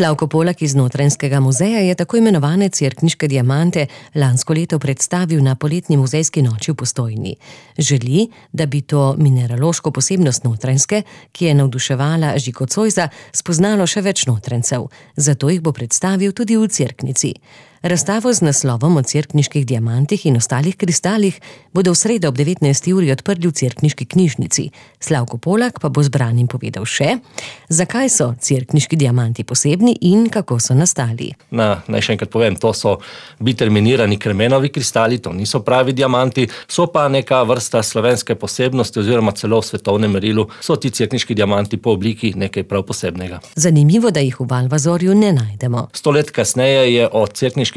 Slavko Polak iz Notranjskega muzeja je tako imenovane cerkniške diamante lansko leto predstavil na poletni muzejski noči v Postojni. Želi, da bi to mineraloško posebnost Notranjske, ki je navduševala Žigo Zoisa, spoznalo še več Notranjcev. Zato jih bo predstavil tudi v cerknici. Razstavo z naslovom o cerkniških diamantih in ostalih kristalih bodo v sredo ob 19. uri odprli v cerkniški knjižnici. Slavko Polak pa bo zbranim povedal še, zakaj so cerkniški diamanti posebni in kako so nastali. Naj še enkrat povem, to so biterminirani kremenovi kristali, to niso pravi diamanti, so pa neka vrsta slovenske posebnosti oziroma celo v svetovnem merilu so ti cerkniški diamanti po obliki nekaj prav posebnega. Zanimivo, da jih v Valvazorju ne najdemo. 100 let kasneje je o cerkniških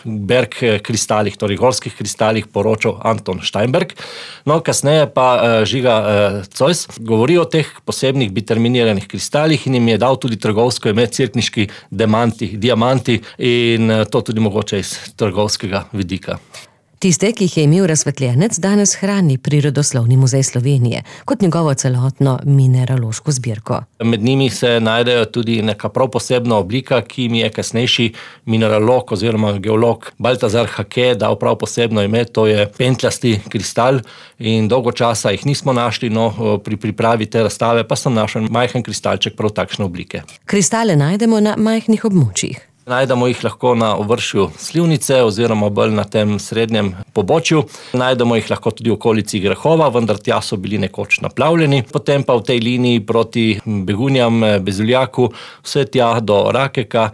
berg kristalih, torej gorskih kristalih, poročal Anton Steinberg. No, kasneje pa Žiga Zois govori o teh posebnih biterminiranih kristalih in jim je dal tudi trgovsko ime cerkniški diamanti in to tudi mogoče iz trgovskega vidika. Tiste, ki jih je imel razsvetljenec, danes hrani Prirodoslovni muzej Slovenije kot njegovo celotno mineraloško zbirko. Med njimi se najdejo tudi neka prav posebna oblika, ki mi je kasnejši mineralog oziroma geolog Baltazar Hake dal prav posebno ime, to je pentljasti kristal in dolgo časa jih nismo našli, no pri pripravi te razstave pa sem našel majhen kristalček prav takšne oblike. Kristale najdemo na majhnih območjih. Najdemo jih lahko na ovršju Slivnice oziroma bolj na tem srednjem pobočju. Najdemo jih lahko tudi v okolici Grehova, vendar tja so bili nekoč naplavljeni. Potem pa v tej liniji proti Begunjam, Bezuljaku, vse tja do Rakeka,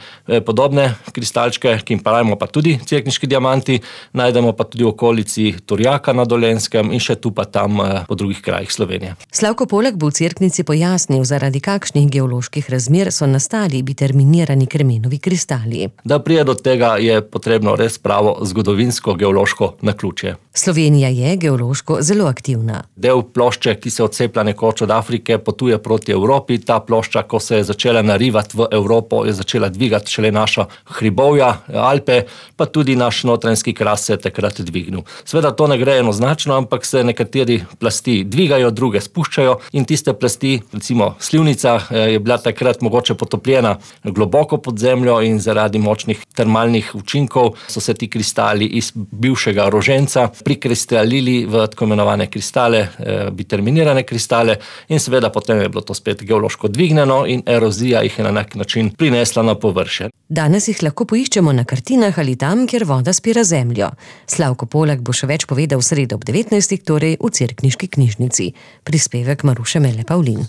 podobne kristalčke, ki jim pravimo pa tudi cerkniški diamanti, najdemo pa tudi v okolici Turjaka na Dolenjskem in še tu pa tam po drugih krajih Slovenije. Slavko Polak bo v cerknici pojasnil, zaradi kakšnih geoloških razmer so nastali biterminirani kremenovi kristali. Da pride do tega, je potrebno res pravo zgodovinsko-geološko naključje. Slovenija je geološko zelo aktivna. Del plošče, ki se odceplja nekoč od Afrike, potuje proti Evropi. Ta plošča, ko se je začela narivati v Evropo, je začela dvigati šele naša hribovja, Alpe, pa tudi naš notranjski kras se je takrat dvignil. Seveda to ne gre enoznačno, ampak se nekateri plasti dvigajo, druge spuščajo in tiste plasti, recimo Slivnica, je bila takrat mogoče potopljena globoko pod zemljo in zaradi močnih termalnih učinkov so se ti kristali iz bivšega roženca prikristalili v tako imenovane kristale, biterminirane kristale in seveda potem je bilo to spet geološko dvignjeno in erozija jih je na nek način prinesla na površje. Danes jih lahko poiščemo na kartinah ali tam, kjer voda spira zemljo. Slavko Polak bo še več povedal v sredo ob 19. torej v cerkniški knjižnici. Prispevek Maruše Mele Pavlin.